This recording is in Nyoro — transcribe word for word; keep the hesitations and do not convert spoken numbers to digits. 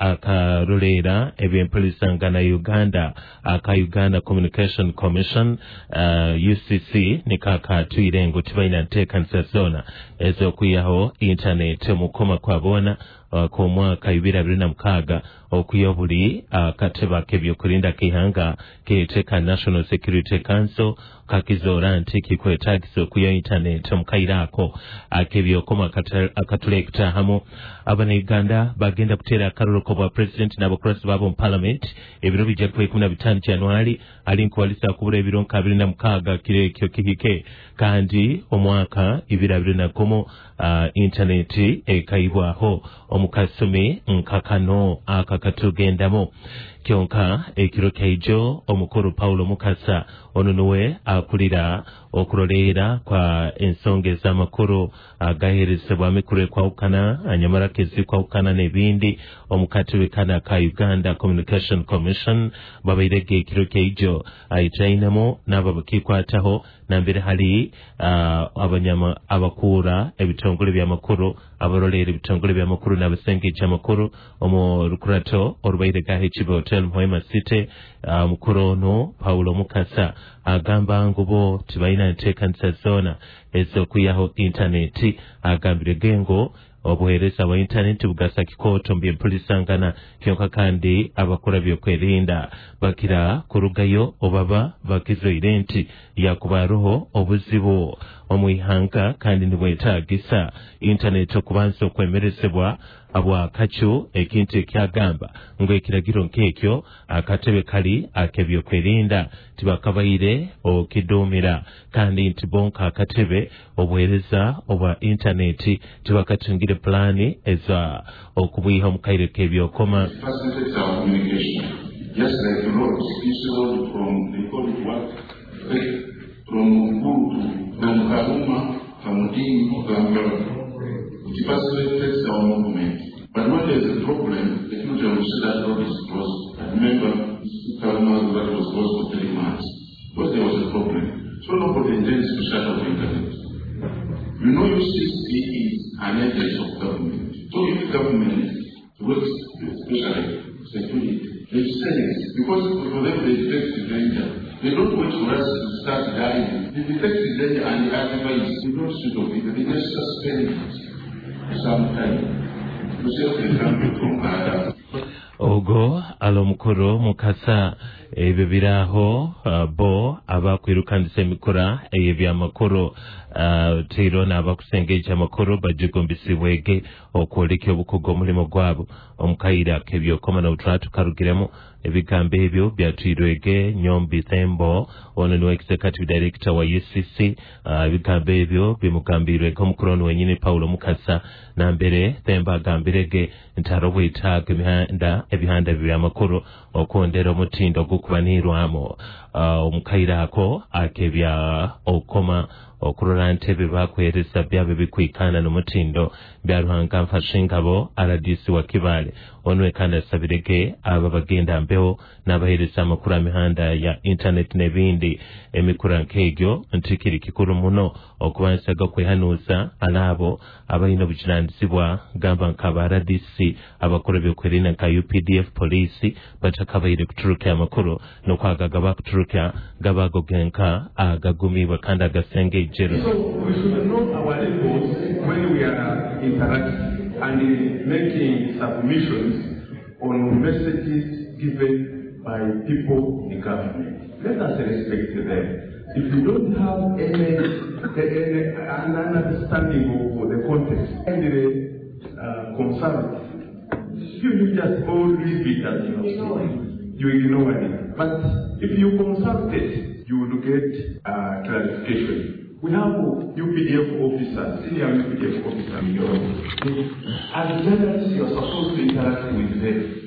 Akaroleera ebyempulisangana Uganda aka Uganda Communication Commission, uh, U C C, nikakatwire ngu tibalina nteekanisa zoona ez'okwihaho intaneti omukoma kwa boona uh, k'omwaka ibiri abiri na mukaaga, okwiha buli akatebe ak'ebyokurinda k'ihanga keete ka National Security Council kakizoora nti kikwetagisa okwihaho intaneti omu kaire ako ak'ebyokoma akatulekutahamu. Abanauganda bagenda kuteera akaruru k'obwa president n'abakurasi baabo mu parliament ebiro bijja kuba ikumi na bitaano Januari, ali nkubalisa kubura ebiro nka abiri na mukaaga kiro ekyo kihike. Kandi omwaka ibiri abiri na gumu uh, intaneti ekaibwaho omu kasumi nka kano aka katugendamu. Kyonka ekiro kyaijo omukuru Paulo Mukasa, ono niwe akulira okuroleera kwa ensonga ez'amakuru agaheerezebwa mikuru ekwawukana anyamaraka ezikwawukana n'ebindi omu katebe kana ka Uganda Communication Commission, babairege ekiro kyaijo aitainemu n'abo bakikwataho nambere hali uh, abanyama abakuura ebitongole by'amakuru, abaroleera ebitongole by'amakuru n'abasengeja amakuru omu rukurato orubaire gaho Ekibe Hotel Muhema City. Omukuru uh, ono Paulo Mukasa agamba ngu bo tibalina nteekanisa zoona ez'okwihaho intaneti. Agambire gengo obuheereza bwa intaneti bugasa kikooto mu byempulisangana, kyonka kandi abakora byokwerinda bakira kurugayo obaba bakizoire nti yakuba haroho obuzibu omu ihanga kandi nibwetagisa intaneti okubanza okwemerezebwa abwakacu, ekintu ekyagamba ngu ekiragiro nk'ekyo akatebe kali ak'ebyokwerinda tibakabaire okidumira, kandi nti bonka akatebe obuheereza obwa intaneti tibakatungire pulaani eza okubwiha omu kaire k'ebyokoma. Facilitates our communication. Just like roads, this road from, they call it what? From Mukuru to, from Karuma, Kamudini, Kampala. It facilitates our movement. But when there's a problem, the future will see that road is closed. I remember Karuma that was closed for three months because there was a problem. So nobody intends to shut off internet. You know, U C C is an agency of government. So if government works, especially security, they sense, because for them they detect the danger. They don't wait for us to start dying. They detect the danger and they advise. They don't switch off it. They just suspend it for some time to save the country from other. Ogwo ali omukuru Mukasa. Ebyo biraaho, uh, bo abakwirukandisa emikura ey'ebyamakuru uh, teiro n'abakusengeja amakuru bajugumbisibwege okwoleka obukugu omulimu gwabo omu kaire ak'ebyokoma n'obutwara tukarugiremu. Ebigambo ebyo byatwirwege Nyombi Thembo, ono niwe executive director wa U C C. uh, ebigambo ebyo bimugambirwege omukuru ono wenyini Paulo Mukasa, nambere Thembo agambirege nti hariho obwetaago emihanda ebihanda byamakuru okwondera omutindo ogukubaniirwamu uh, omu kaire ako akebya okukoma okurora nti ebyo bakuheereza byabo bikwikana n'omutindo. Bya Ruhanga Nfashe Engabo, R D C wa Kibaale, onwe kandi asabirege abo bagenda mbeho n'abaheereza amakuru amihanda ya internet n'ebindi emikura nk'egyo nti kiri kikuru muno okubanzaga kwehanuuza alaabo abalina obujunanizibwa, gamba nk'aba R D C, abakora ebyokwerinda nka U P D F, poliisi, batakabaire kuturuka amakuru n'okwagaga bakuturuka gabago genka agagumibwa kandi agasengejero. So we should know our levels when we are interacting and uh, making submissions on messages given by people in government. Let us respect them. If you don't have any, any an understanding of the context, kindly uh, consult. You, you just all leave it as you have seen. You ignore it. But if you consult it, you will get uh, clarification. We have U P D F officers, senior U P D F officers in Europe. As journalists, you are supposed to interact with them.